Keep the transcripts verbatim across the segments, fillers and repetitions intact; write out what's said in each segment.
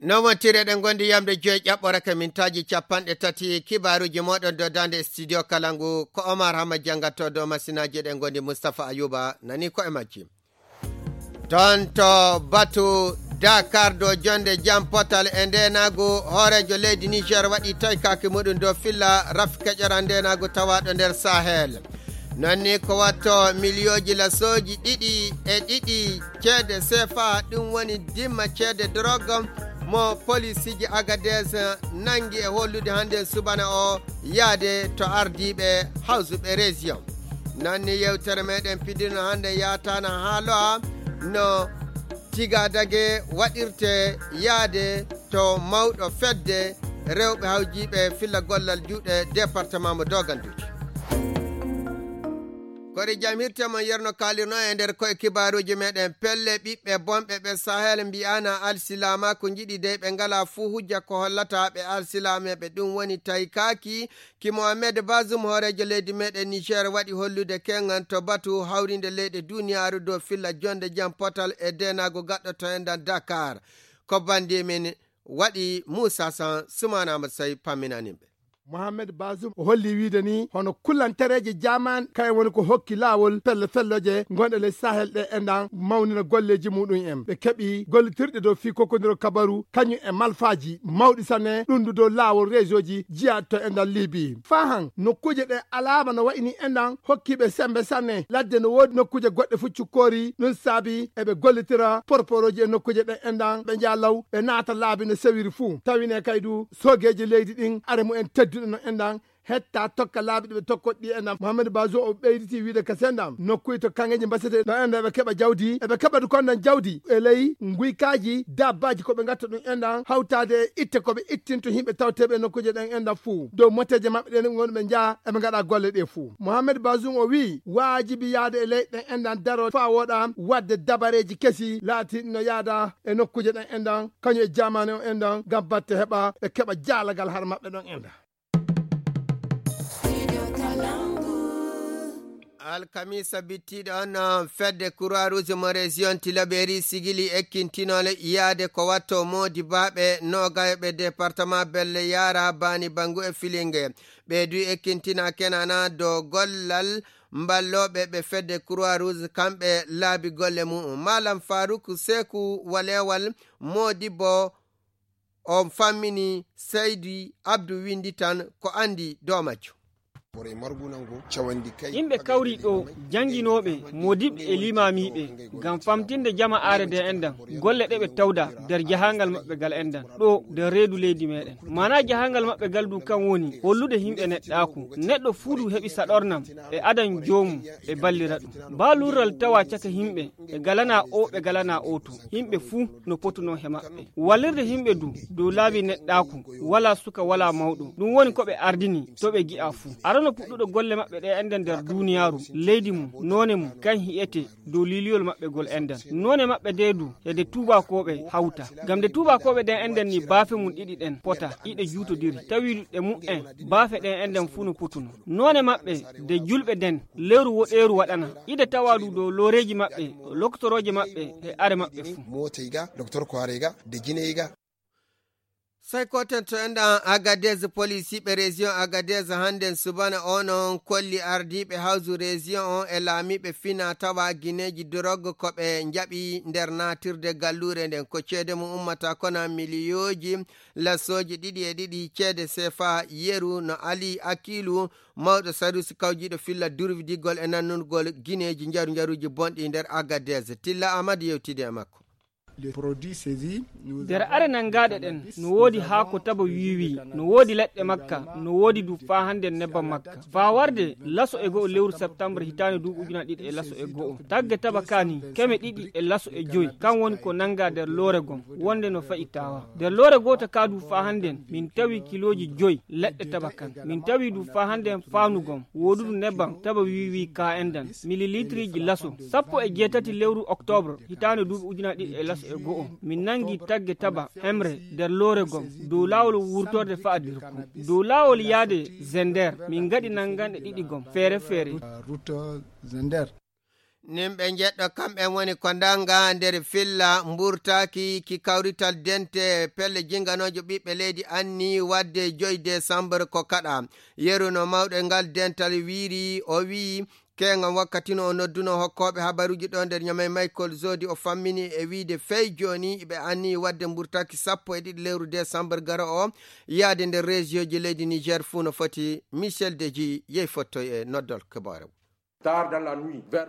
No wontiri eɗen gondi yamde joyi ƴaɓɓore ka mintaaji capanɗe tati kibaaruuji mooɗon dow daande studio kala ngu ko Omar Hamma janngatto dow masinaaji eɗen gondi Mustapha Ayuba nani ko e majji. Toon to batu Dakar dow jonde jam potal e ndeenaagu hooreejo leydi Niger waɗi toykaaki muɗum dow filla rafi keƴoran ndeenaagu tawaaɗo nder Sahel. Noon ni ko watto miliyooji lasooji ɗiɗi e ɗiɗi ceede sefa ɗum woni dimma ceede drogue mo polisiji Agadez nangi e hollude hannde subana o yaade to ardiiɓe hawsuɓe région. Noon ni yewtere meɗen pidirno hannde yaatana haa lo'a no tigadage waɗirte yaade to mawɗo fedde rewɓe hawjiiɓe filla gollal juuɗe département mo doganduji. Kori jam hirte mon yerno kalirno e nder koye kibaaruuji meɗen pelle ɓiɓɓe bonɓe ɓe Sahel mbi'ana alsilaama ko njiɗi dey ɓe ngala fuu hujja ko hollata ɓe alsilaame ɓe ɗum woni tawi kaaki ki Mohamed Bazoum hooreejo leydi meɗen Niger waɗi hollude kengan to batu hawrinde leyɗe duniyaaru dow filla jonde jam potal e denaago gaɗɗoto e nder Dakar. Ko bandi min waɗi Moussa San Soumana Amadou Sey pamminaniɓe. Mohamed Bazoum o holli wiide ni hono kullantereeje jaman kayen woni ko hokki laawol pelle felloje gonɗe ley Sahel ɗe enɗan mawnina golleeji muɗum en. Ɓe keɓi gollitirɗe dow fii kokkondiro kabaru kañum e malfaaji mawɗi sanne ɗundu dow laawol réseauji jiya to enɗan Libi. Faa han nokkuuje ɗe alaama no wayi ni enɗan hokkiiɓe sembe sanne ladde no woodi nokkuuje goɗɗe fuu cukkoori ɗum saabi eɓe gollitira porporooji e nokkuuje ɗe enɗan ɓe njaha law ɓe naata laabi no sewiri fuu tawine kay du soogeeji leydi ɗin are mumen tedduɗe no enɗan hetta tokka laabi ɗi ɓe tokkoɗi ɗi enɗan. Mohamed Bazoum o ɓeyditi wiide ka senɗan nokkuy to kangeji mbasete no enɗan eɓe keɓa jawdi eɓe keɓa du konɗan jawdi e ley nguykaaji dabbaaji ko ɓe ngatta ɗum enɗan hawtaade e itte ko ɓe ittinto yimɓe tawteeɓe e nokkuuje ɗen enɗan fuu dow moteeje maɓɓe ɗen woni ɓe njaha eɓe ngaɗa golle ɗe fuu. Mohamed Bazoum o wii waajibi yaade e ley ɗen enɗan daro faa wooɗa waɗde dabareeji kesi laatiiɗi no yaada e nokkuuje ɗen enɗan kañum e jaamaane o enɗan ngam batte heɓa ɓe keɓa jaalagal har maɓɓe ɗon enɗan. Alkamisa bittiiɗo on fedde Croix Rouge mo région Tilaberi sigili ekkintinole yaade ko watto moodi baaɓe noogayoɓe département belle yaara baani bangu e filinge ɓe du ekkintina kenana dow gollal mballooɓe ɓe fedde Croix Rouge kamɓe laabi golle mu'um malam Farouk Seku walewal moodi bo on fammini Seydi Abdou Windi tan ko anndi dow majjum. Yimɓe kawri ɗo jannginooɓe moodiɓɓe e limaamiiɓe ngam famtinde jama aare nde enɗan golle ɗe ɓe tawda nder jahangal maɓɓe gal enɗan ɗo nder reedu leydi meɗen mana jahangal maɓɓe gal du kan woni hollude yimɓe neɗɗaaku neɗɗo fuu du heɓi saɗornam e adan joomum e ballira ɗum ba lurral tawa caka yimɓe ɓe galana o ɓe galana o to yimɓe fuu no potuno he maɓɓe wallirde yimɓe du dow laabi neɗɗaaku wala suka wala mawɗo ɗum woni ko ɓe ardini to ɓe gi'a fuu arano puɗɗuɗo golle maɓɓe ɗe enɗan nder duniyaaru leydi mum noone mum kan hi'ete dow liliyol maɓɓe gol enɗan noone maɓɓe de du e de tuubakooɓe hawta ngam de tuubakooɓe ɗen enɗan ni baafe mum ɗiɗi ɗen pota iɗe juutodiri tawi ɗe mu'en baafe ɗen enɗan fuu no potuno noone maɓɓe de julɓe den lewru woɗeeru waɗana ide tawa du dow looreeji maɓɓe loktorooje maɓɓe e are maɓɓe fuu mootey ga docteur koirey ga de jiney ga. Sey koten to enɗan Agadez polisiiɓe région Agadez hannden subana o non kolli ardiiɓe hawsu région on e laamiiɓe fina tawa gineeji dorog ko ɓe njaɓi nder naatirde galluure nden ko ceede mum ummata kona miliyooji lassooji ɗiɗi e ɗiɗi ceede sefa yeru no ali akilu mawɗo sarusi kawjiiɗo filla durwidigol e nannugol gineeji njaru njaruuji bonɗi nder Agadez. Tilla Amadu yewtidi e makko. Nder are nangaaɗe ɗen no woodi haako taba wiiwi no woodi leɗɗe makka no woodi du faa hannde nebbam makka faa warde laso e go'o lewru septembre hitaande duuɓi ujuna ɗiɗi e laso e go'o tagge taba kaani keme ɗiɗi e laso e joyi kan woni ko nanngaa nder loore gom wonde no fa'i taawa nder loore gooto kaa du faa hannden min tawi kilooji joyi leɗɗe taba kan min tawi du faa hannden faandu gom woodudu nebbam taba wiiwi kaa endan mililitriiji laso sappo e jeetati lewru oktoobre hitaande duuɓi ujunaaji ɗiɗi e laso e go'o min nanngi tagge taba hemre nder loore gom dow laawol wurtorde fa'adirku dow laawol yaade zender min ngaɗi nannganɗe ɗiɗi gom feere feere. Nimɓe njeɗɗo kamɓen woni ko ndannga nder filla mburtaaki ki kawrital dente pelle jinganoojo ɓiɓɓe leydi anni waɗde joyi décembre ko kaɗa. Yeru no mawɗo ngal dental wiiri, o wiyi, keeŋam wakkati no o nodduno hokkooɓe habaruuji ɗo nder Ñamey Michael Zodi, o fammini e wiide fey jooni ɓe anni waɗde mburtaaki sappo e ɗiɗi lewru décembre garo o, yaade nder région ji leydi Niger fuu no foti. Michel Deji yehi fottoy e noddol kibaare.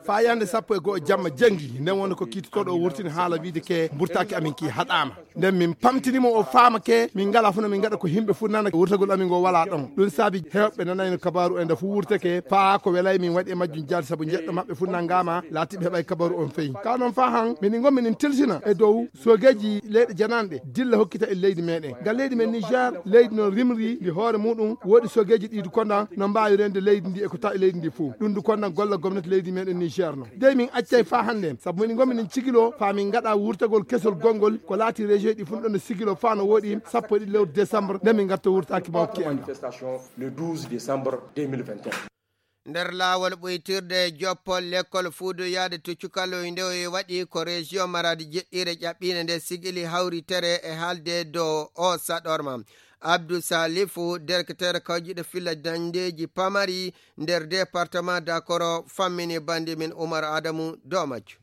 Faa yande sappo e go'o jamma janngi, nden woni ko kiitotooɗo o wurtini haala wiide ke mburtaaki amin ki haɗaama. Nden min pamtini mo o faama ke, min ngalaa fuu no min ngaɗa ko yimɓe fuu nana wurtagol amin ngo walaa ɗon. Ɗum saabi heewɓe nanayno kabaaru en nda fuu wurtake, faa ko welay min waɗi e majjum jaal sabu njeɗɗo maɓɓe fuu nanngaama, laatiiɓe heɓay kabaaru on feyi. Kaa non faa han, minin ngon minin tilsina e dow soogeeji leyɗe jananɗe dilla hokkita e leydi meɗen. Ngal leydi men Niger, leydi no rimri ndi hoore muɗum, woodi soogeeji ɗi du kondan no mbaawi rende leydi ndi e ko tawi leydi ndi fuu. Ɗum du kondan golla gomnati leydi meɗen Niger no. Dey min accay faa hannde, sabu minin ngon minin cigilo faa min ngaɗa wurtagol kesol gongol ko laati région ɗi fuu ɗon no sigilo faa no woɗi sappo e ɗiɗi lewru décembre nde min ngarta wurtaaki mawki en. Le douze décembre deux mille vingt et un. Nder laawol ɓuytirde joppol lekkol fuudu yaade to cukaloy nde waɗi ko région Maradi jeɗɗiire ƴaɓɓiinde nde sigili hawritere e haalde dow o saɗorma. Abdou Salifu, directeur kawjiɗo filla dañdeeji pamari nder département Dakoro, fammini bandi min Umar Adamu dow majju.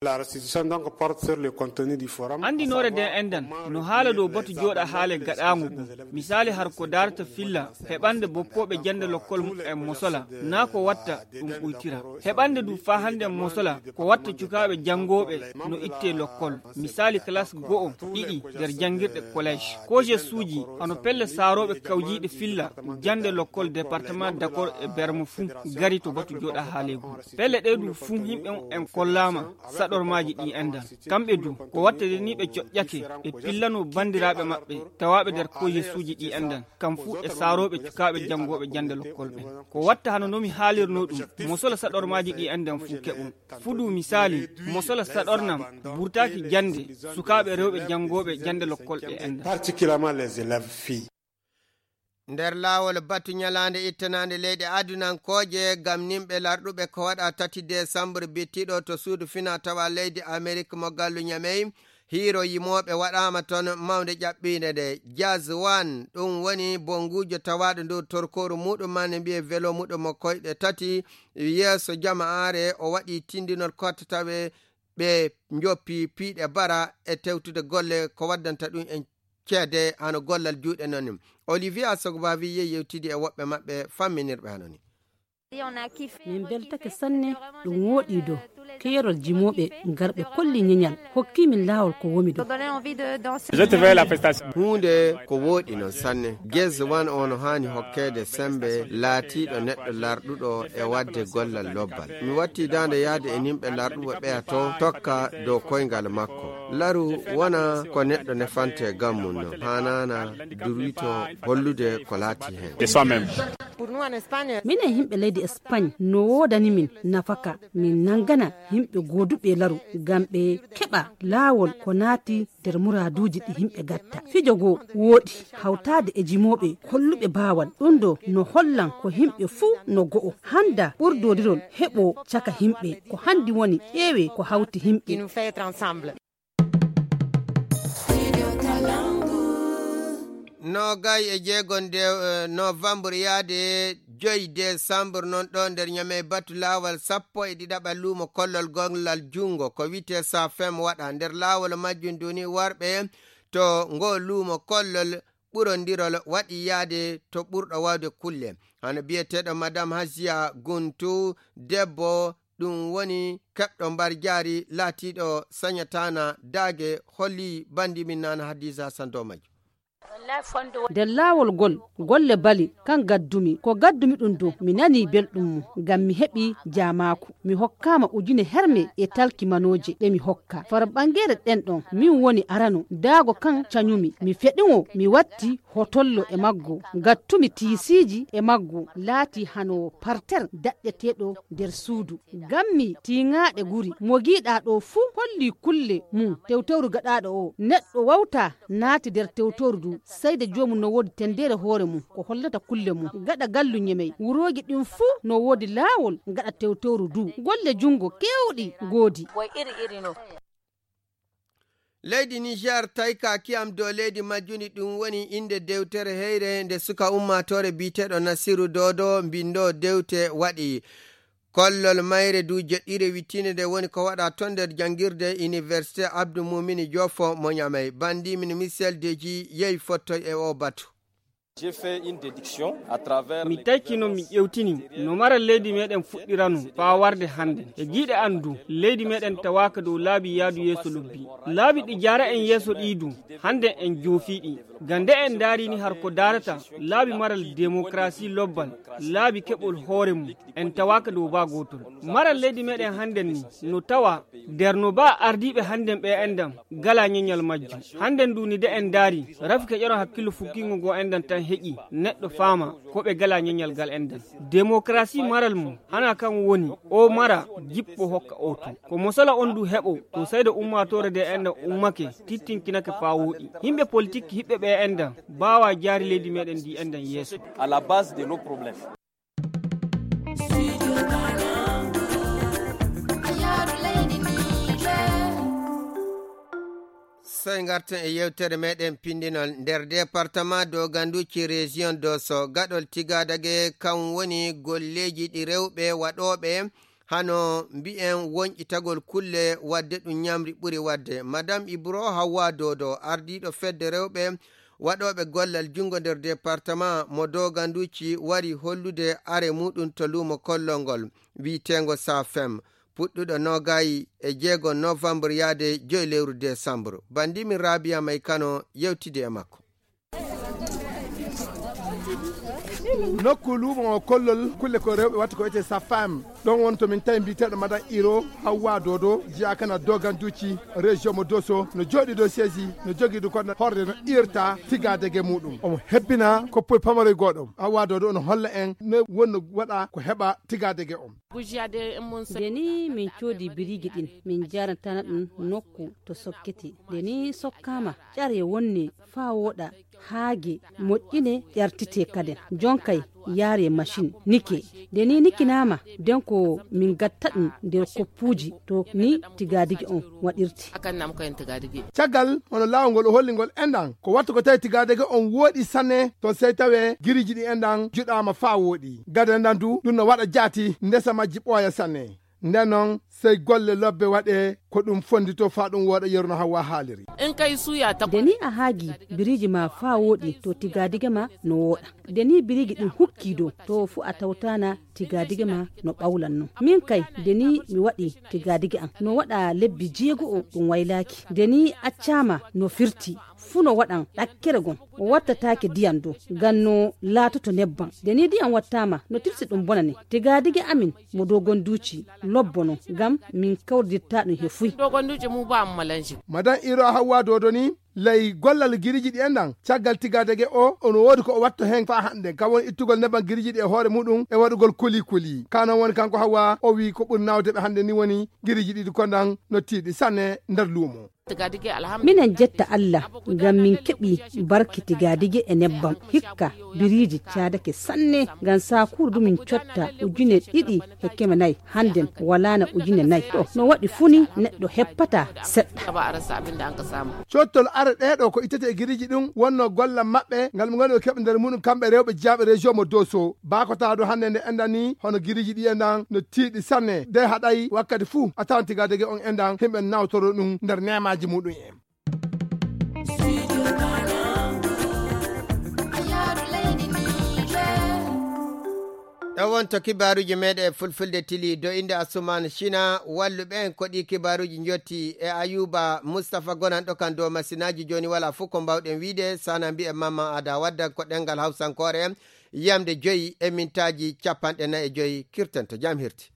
La restitution donc porte sur le contenu du forum. Anndinoore nden enɗan no haala dow batu jooɗa haale gaɗaango ngun. Misaali har ko daarata filla heɓande boppooɓe jannde lokkol muɓɓen mosola, naa ko watta ɗum ɓuytira. Heɓande du faa hannde mosola ko watta cukaaɓe janngooɓe no ittee lokkol. Misaali kalaas go'o, ɗiɗi nder janngirɗe collège. Kojesuuji hano pelle saarooɓe kawjiiɗe filla jannde lokkol département Dakoro e Bermo fuu gari to batu jooɗa haaleegu. Pelle ɗee du fuu yimɓe muɓɓen kollaama saɗormaaji ɗi enɗan. Kamɓe du, ko watta de ni ɓe coƴƴake, ɓe pillano banndiraaɓe maɓɓe tawaaɓe nder kojesuuji ɗi enɗan, kam fuu e saarooɓe cukaaɓe janngooɓe jannde lokkol ɓen. Ko watta hano no mi haalirnoo ɗum, mosola saɗormaaji ɗi enɗan fuu keɓum. Fuu du misaali, mosola saɗornam burtaaki jannde sukaaɓe rewɓe janngooɓe jannde lokkol ɗe enɗan. Particulièrement les élèves filles. Nder laawol batu ñalaande ittanaande leyɗe adunankooje ngam nimɓe larɗuɓe ko waɗa tati desambre bittiɗo to suudu fina tawa leydi Amerik mo gallu Ñamey, hiiro yimooɓe waɗaama ton mawnde ƴaɓɓiinde nde. Jazz One, ɗum woni bonnguujo tawaaɗo ndu torkooru muɗum maa ne mbiyee velo muɗum mo koyɗe tati yeeso jama'aare, o waɗi tindinol kotta tawe ɓe njoppi piiɗe bara e tewtude golle ko waddanta ɗum en ceede hano gollal juuɗe non ni. Olivier Asogbavi yehi yewtidi e woɓɓe maɓɓe famminirɓe hano ni. Min beltake sanne, ɗum wooɗi do keerol jimooɓe ngarɓe kolli ñeñal hokki min laawol ko womi do. Huunde ko wooɗi non sanne. Gez wan on haani hokkeede sembe laatiiɗo neɗɗo larɗuɗo e waɗde gollal lobbal. Mi watti daande yahde e nimɓe larɗuɓe ɓeya to tokka dow koyngal makko. Laru wona ko neɗɗo nefante gam mum no haanana durwito hollude ko laati heen. Minen yimɓe leydi Espagne no woodani min nafaka, min nanngana yimɓe gooduɓe laru ngam ɓe keɓa laawol ko naati nder muraaduuji ɗi yimɓe gatta. Fijo goo wooɗi hawtaade e jimooɓe holluɓe baawal. Ɗum ɗo no hollan ko yimɓe fuu no go'o. Hannda ɓurdoodirol heɓoo caka yimɓe. Ko hanndi woni ƴeewee ko hawti yimɓe. Noogay e jeego nde novembre yaade joyi desambre noon ɗo nder Ñamey batu laawal sappo e ɗiɗaɓal luumo kollol gollal junngo ko wiyetee Safem waɗa nder laawol majjum duni warɓe to ngo luumo kollol ɓurondirol waɗi yaade to ɓurɗo waawde kulle. Hano biyeteeɗo Madame Hasiya Guntu, debbo ɗum woni keɓɗo mbar jaari laatiiɗo sañataana daage holli bandi min nana Hadiza Sandomaj. Nder laawol ngol golle bali kan gaddumi ko gaddumi ɗum dow mi nanii belɗum mum ngam mi heɓi jaamaaku. Mi hokkaama ujune herme e talki manooje ɗe mi hokka far ɓangeere ɗen ɗon min woni arano daago kan cañumi mi feɗumo mi watti hotollo e maggo gattumi tiisiiji e maggo laati hano parter daɗɗeteeɗo nder suudu. Gammi tiiŋaaɗe guri mo giiɗaa ɗoo fuu hollii kulle mum tewtewru gaɗaaɗo oo. Neɗɗo wawtaa naati nder tewtewru nduu Sayde joomum no woodi tenndeere hoore mum, ko hollata kulle mum. Gaɗa gallu Ñemey, wurooji ɗin fuu no woodi laawol, gaɗa tewtowru duu. Golle junngo keewɗi ngoodi. Leydi Niger tayka kiyam dow leydi majjuni, ɗum woni innde dewtere heyre nde suka ummaatoore biyeteeɗo Nasiru Dodo, mbinndoo dewte waɗi. Kollol mayre du joɗɗiire wittiinde nde woni ko waɗa ton nder janngirde Université Abdou Mumini Jofo mo Ñamey. Banndi min Michel Deji yehi fottoy e o batu. J'ai fait une déduction à travers mi les taykino mi ƴewtini no maral leydi meɗen fuɗɗirano faa warde hannden. E jiiɗe an du, leydi meɗen tawaaka dow laabi yaadu yeeso lobbi. Laabi ɗi jaara en yeeso ɗii du, hannden en joofii ɗi. Ga nde en ndaarini har ko daarata laabi maral demokrasi lobbal, laabi keɓol hoore mum, en tawaaka dow baa gootol. Maral leydi meɗen hannden ni no tawa nder no baa ardiiɓe hannden ɓe enɗan gala ñeñal majjum. Hannden du ni de en ndaari, rafi ke ƴoro hakkillo fukkingo ngo enɗan tan heƴi, neɗɗo faama ko ɓe gala ñeñal gal enɗan. Demokrasi maral mum, hana kan woni o mara jippo hokka o tun. Ko mosala on du heɓo, to sayda ummaatoore de enɗan ummake, tittinkinake faa wooɗi. Yimɓe politik hiɓɓe ɓe enɗan, baawa jaari leydi meɗen ndi enɗan yeeso. À la base de nos problèmes. Sey ngarten e yewtere meɗen pinndinol. Nder département Doganduci, région Dosso, gaɗol Tigadage, kan woni golleeji ɗi rewɓe waɗooɓe hano mbi'en wonƴitagol kulle wadde ɗum ñamri ɓuri wadde. Madame Ibro Hawwa Dodo, ardiiɗo fedde rewɓe waɗooɓe gollal junngo nder département mo Doganduci, wari hollude are muɗum to luumo kollol ngol wi'eteengo Safem, puɗɗuɗo noogayi e jeego novembre yaade joy lewru décembre. Banndi min Rabia May Kano yewtidi e makko. Nokku luumo o kollol kulle ko rewɓe watta ko wiyetee Safam. Ɗon won to min tawi mbiyeteeɗo Madan Iro Hawwa Dodo, jiyaka na Doganduci, région mo Dosso, no jooɗi dow seesi, no jogii du koɗo horde no irta Tigadege muɗum. Omo hebbina koppoy pamaroy goɗo. Hawwa Dodo ono holla en no wonno waɗa ko heɓa Tigadege on. Nde ni min coodi biriji ɗin, min jaratana ɗum nokku to sokkete. Nde ni sokkaama, ƴare wonne faa wooɗa, haage moƴƴine, ƴartite kaden. Jonkay yaare machine nike. Nde ni nikinaama, den ko min gatta ɗum nder koppuuji to ni tigadigi on waɗirte. Akan nam ko en tigadigi. Caggal hono laawol ngol o holli ngol enɗan, ko wattu ko tawi tigadigi on wooɗi sanne, to sey tawe giriji ɗi enɗan juɗaama faa wooɗi. Gada enɗan du, ɗum no waɗa jaati ndesa majji ɓooya sanne. Nden non, sey golle lobbe waɗe ko ɗum fondito faa ɗum wooɗa yeru no Hawwa haaliri. In kai suya ta. Nde ni a haagi biriji ma faa wooɗi, to tigadige ma no wooɗa. Nde ni biriji ɗin hukki dow, to fu a tawtaana tigadige ma no ɓawlan non. Min kay, nde ni mi waɗi tigadige an, no waɗa lebbi jeego'o ɗum waylaaki. Nde ni accaama no firti, fu no waɗan ɗakkere gon. O wattataake diyan dow, ngam no laatoto nebban. Nde ni diyan wattaama, no tilsi ɗum bonane. Tigadige amin mo Dogonduci lobbo non, ngam min kawridirtaa ɗum he fuy. Dogonduci mu ba mu malanji. Madan Iro Hawwa Dodo ni, ley gollal giriji ɗi enɗan, caggal tigadege o, ono woodi ko o watto hen faa hande. Kam woni ittugol nebban giriji ɗi e hoore muɗum e waɗugol kuli kuli. Ka non woni kanko Hawwa, o wi ko ɓuri nawde ɓe hande ni woni giriji ɗiɗi ko ndan no tiiɗi sanne nder luumo. Minen jetta Allah ngam min keɓi barki tigadige e nebbam. Hikka biriji caadake sanne, ngam saakuru du min cotta ujune ɗiɗi e keme nayi. Handen walaana ujune nayi. To no waɗi fu ni neɗɗo heppata seɗɗa. Cottol are ɗee ɗo ko ittete e giriji ɗum wonno gollal maɓɓe ngal ɓe ngoni ɓe keɓa nder muɗum kamɓe rewɓe jiyaaɓe région mo Dosso. Baa ko tawa ɗo hannde nde enɗan ni hono giriji ɗi enɗan no tiiɗi sanne. De haɗay wakkati fuu a tawan tigadege on enɗan himɓe nawtoro ɗum nder neemaaji muɗum en. Ɗo wonto kibaaruuji meeɗen e fulfulde tili dow innde Asuman Sina, walluɓe en ko ɗi kibaaruuji njotti e Ayuba Mustafa gonanɗo kan dow masinaaji. Jooni walaa fof ko mbawɗen wiide, sana mbi'en Mamman Ada waddan ko ɗemngal Hawsankoore, yamde joyi e mintaaji capanɗe nayi e joyi, kirten to jam hirti.